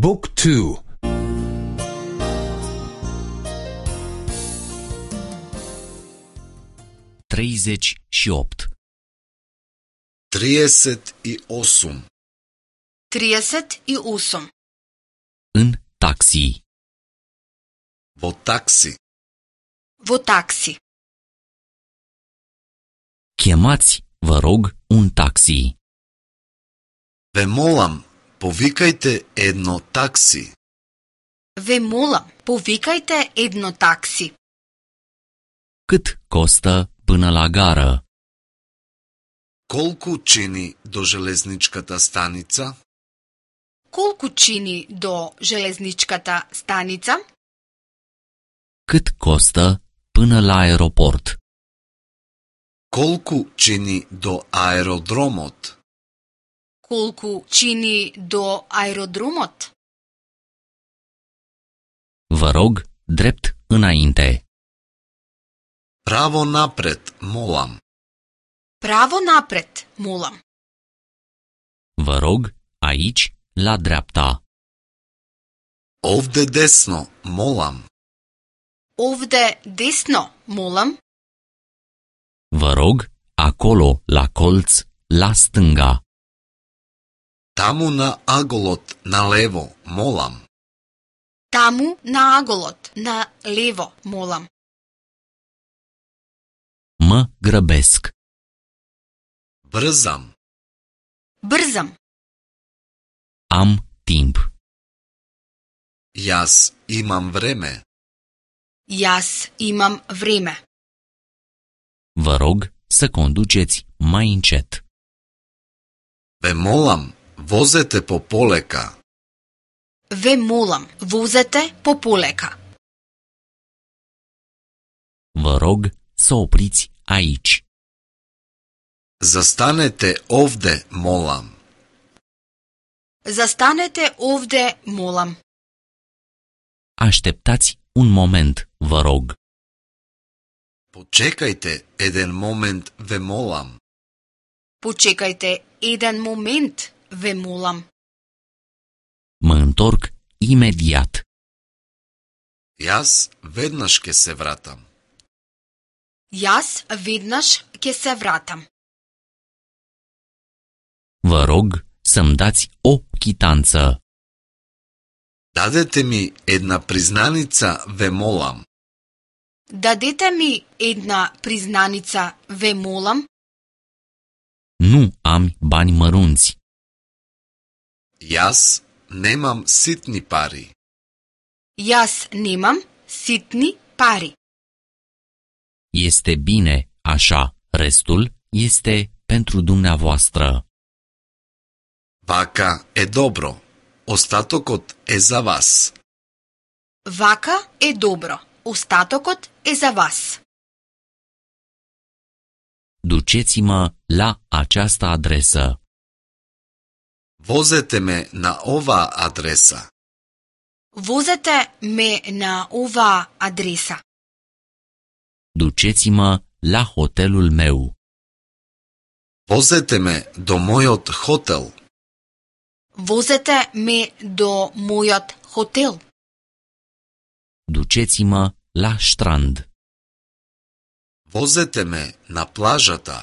Book 2. Treizeci și opt. 38. 38. În taxi. Во такси. Во такси. Chemați, vă rog, un taxi. Ве молам, повикајте едно такси. Ве молам, повикајте едно такси. Cât costă până la gară? Колку чини до железничката станица? Колку чини до железничката станица? Cât costă până la aeroport? Колку чини до аеродромот? Колку чини до аеродромот? Vă rog, drept înainte. Право напред, молам. Право напред, молам. Vă rog, aici, la dreapta. Овде десно, молам. Овде десно, молам. Vă rog, acolo, la colț, la stânga. Таму на аголот, налево, молам. Таму на аголот, на лево, молам. Mă grăbesc. Брзам. Брзам. Am timp. Јас имам време. Јас имам време. Vă rog să conduceți mai încet. Ве молам, возете по полека. Ве молам, возете по полека. Vă rog să opriți aici. Застанете овде, молам. Застанете овде, молам. Așteptați un moment, vă rog. Почекајте еден момент, ве молам. Почекајте еден момент, ве молам. Mă întorc imediat. Јас веднаш ќе се вратам. Јас веднаш ќе се вратам. Vă rog să-mi dați o chitanță. Дадете ми една признаница, ве молам. Дадете ми една признаница, ве молам. Nu am bani mărunți. Јас немам ситни пари. Јас немам ситни пари. Este bine așa, restul este pentru dumneavoastră. Вака е добро. Остатокот е за вас. Вака е добро. Остатокот е за вас. Duceți-mă la această adresă. Возете ме на оваа адреса. Возете ме на оваа адреса. Duceți-mă la hotelul meu. Возете ме до мојот хотел. Возете ме до мојот хотел. Duceți-mă la strand. Возете ме на плажата.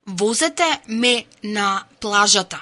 Возете ме на плажата.